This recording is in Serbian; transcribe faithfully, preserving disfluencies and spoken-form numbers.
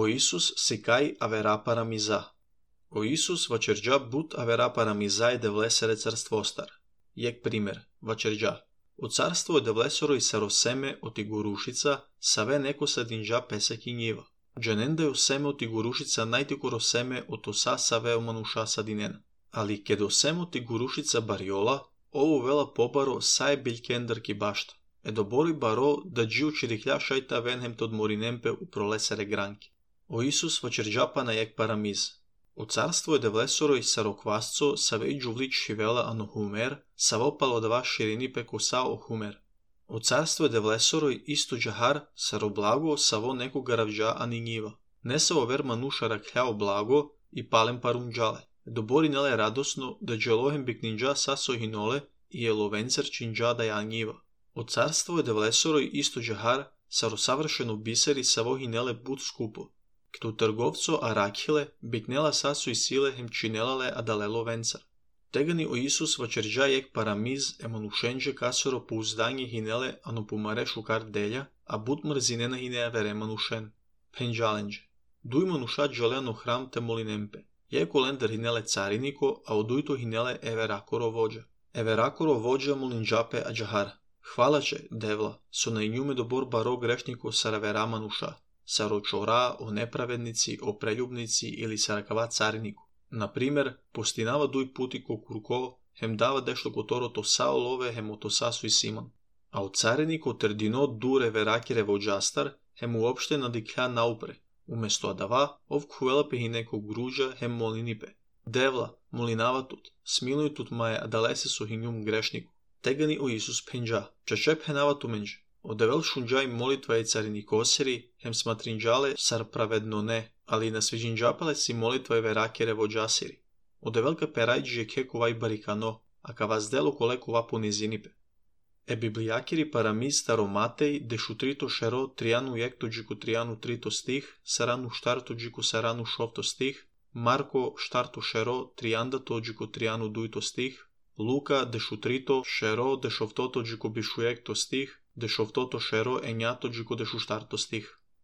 O Isus sicai avera paramizà. O Isus văcergea but avera paramizai de vlesere carствостар. Jek primer, văcergea. O carstvo de vlesoroj saro seme oti gurušica, save neko sa dinđa pesek i njiva. Dženenda jo seme oti gurušica najtikuro seme otosa save o manuša sa dinena. Ali kedo seme oti gurušica bariola, ovo vela pobaro sae biljkender ki bašta. Edo bori baro da džiu čirihlja šajta venhem tod morinempe u prolesere granki. O Isus văcergea pana jek paramiz. O carstvo je de vlesoroj sarokvasco savej džuvlič šivela ano humer, savo palodava širini pe kosa o humer. O carstvo je de vlesoroj isto džahar saroblago savo neko garavđa ani njiva. Ne savo ver manuša rakljao blago i palem parumđale. Dobori nele radosno da dželohem bikninđa saso hinole i jelovencer činđa da ja njiva. O carstvo je de vlesoroj isto džahar sarosavršeno biseri savo hinele but skupo. Kto trgovco a rakhile biknela sasu i sile hem činelale adalelo vencar. Tegani o Isus văcergea jek paramiz e manušenđe kasoro pouzdanje hinele ano pumare šukar delja, a but mrzinena hinea vere manušen. Penđalenđe. Duj manuša džaleno hram te molinempe. Jek olender hinele cariniko, a odujto hinele everakoro vođa. Everakoro vođa molinđape a džahar. Hvala će, devla, so na injume dobor baro grešniko saravera manuša. Saročora o nepravednici, o preljubnici ili sarakava cariniku. Na primer, postinava duj putiko kurko, hem dava dešlo kotoro to sao love, hem oto sasu i siman. A o cariniku trdino dure verakire vođastar, hem uopšte nadiklja naupre. Umesto adava, ov kuelape hi nekog gruđa, hem molinipe. Devla, molinava tut, smiluj tut maje adalese su hinjum grešniku. Tegani o Isus penđa, čačep henava tumenđe. Odevel šunđaj molitva je carinikoseri, hem smatrinđale sar pravedno ne, ali na sviđinđapale si molitva je verakere vođasiri. Odevelka perajđi je keko vaj barikano, a ka vas delo koleko va ponizinipe. E biblijakiri paramiz staromatej de šutrito šero trianu jekto džiku trianu trito stih, saranu štarto džiku saranu šovto stih, Marko štarto šero triandato džiku trianu dujto stih, Luka de šutrito šero de šovtoto džiku bišujekto stih, de šovtoto šero enjato džiku de šuštarto stih.